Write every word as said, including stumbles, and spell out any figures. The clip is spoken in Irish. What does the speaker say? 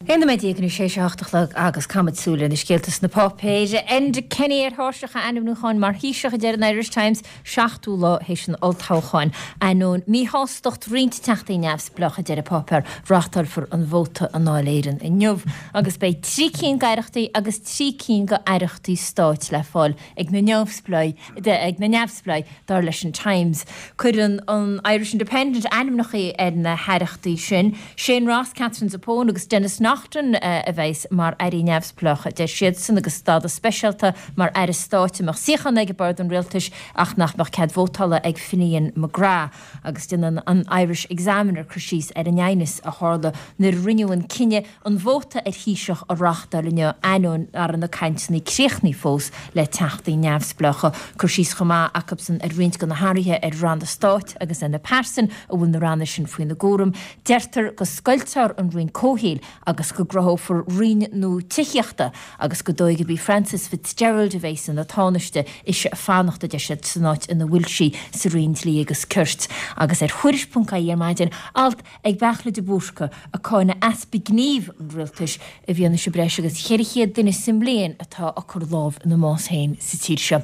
Aon nóiméad déag i ndiaidh a hocht a chlog agus caithfimid súil ar na scéalta sna páipéir. Enda Kenny ar thairseach a ainmniúcháin mar Thaoiseach a deir an Irish Times seachtú lá théis an olltoghcháin. Ainneoin míshástacht roinnt teachtaí neamhspleách a deir an páipéar reáchtálfar an vóta i nDáil Éireann inniu agus beidh trí cinn d'aireachtaí agus trí cinn d'aireachtaí stáit le fáil ag na neamhspleáigh ag na neamhspleáigh dar leis an Times. Cuireann an Irish Independent ainmneacha ar na haireachtaí sin, Shane Ross, Katherine Zappone agus Denis Naughten a bheas mar airí neamhspleácha deir siadsan agus stádas speisialta mar aire stáit a mbeadh suíochán ag bord an rialtais ach nach mbeadh cead vótála ag Finian McGrath agus déanann an Irish Examiner cur síos ar an aighneas a tharla nuair a rinneadh an cinneadh an vóta ar Thaoiseach a reáchtáil inniu ainneoin nach raibh na cainteanna críochnaithe fós le teachtaí neamhspleácha cur síos chomh maith acusan ar roinnt de na hathruithe ar ranna stáit agus ar na pearsain a bhfuil na ranna sin faoina gcúram. Deirtear go scoiltear an Roinn Comhshaoil agus go gcruthófar roinn nua tithíochta agus gur dóigh gurb í Frances Fitzgerald a bheas ina tánaiste ise ag fanacht a deir siad san áit ina bhfuil sí sa Roinn Dlí agus Cirt agus ar Thuairisc.ie ar maidin alt ag Beairtle de Búrca ag cáineadh easpa gnímh an rialtais i bhfianaise breis agus ceithre chéad duine sa mbliain atá ag cur lámh ina mbás féin sa tír seo.